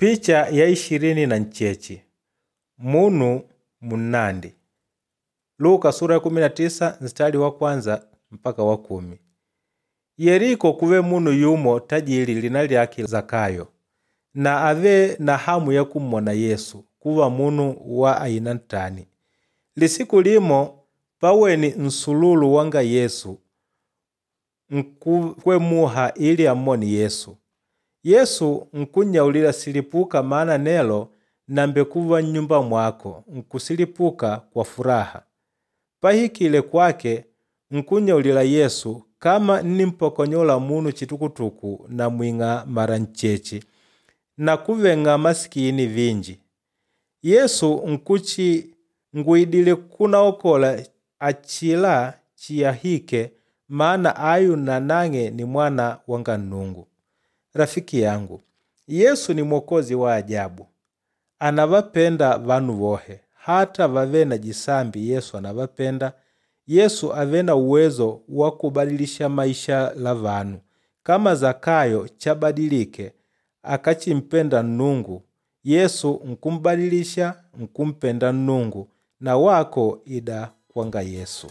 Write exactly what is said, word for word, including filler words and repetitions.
Picha ya ishirini na ncheche munu munnandi. Luka sura ya kumi na tisa nstari wa kwanza mpaka wa kumi. Yeriko kuve munu yumo tajili lina lyake Zakayo na ave na hamu ya kummona Yesu kuva munu wa aina ntani. Lisiku limo paweni nsululu wanga Yesu nkukwemuha ili ammone Yesu. Yesu nkunnyaulila silipuka maana nelo nambekuva nnyumba mwako nkusilipuka kwa furaha. Pahikile kwake nkunnyaulila Yesu kama nnimpokonyola munu chitukutuku namwing'a mara ncheche na kuveng'a masikini vinji. Yesu nkuchi ngwidile kunaokola achila chiyahike maana ayu nanang'e ni mwana wanga Nnungu. Rafiki yangu, Yesu ni mwokozi wa ajabu. Anavapenda vanu vohe, hata vave na jisambi Yesu anavapenda. Yesu ave na uwezo wa kubadilisha maisha la vanu. Kama Zakayo chabadilike akachimpenda Nnungu, Yesu nkumbadilisha nkumpenda Nnungu na wako ida kwanga Yesu.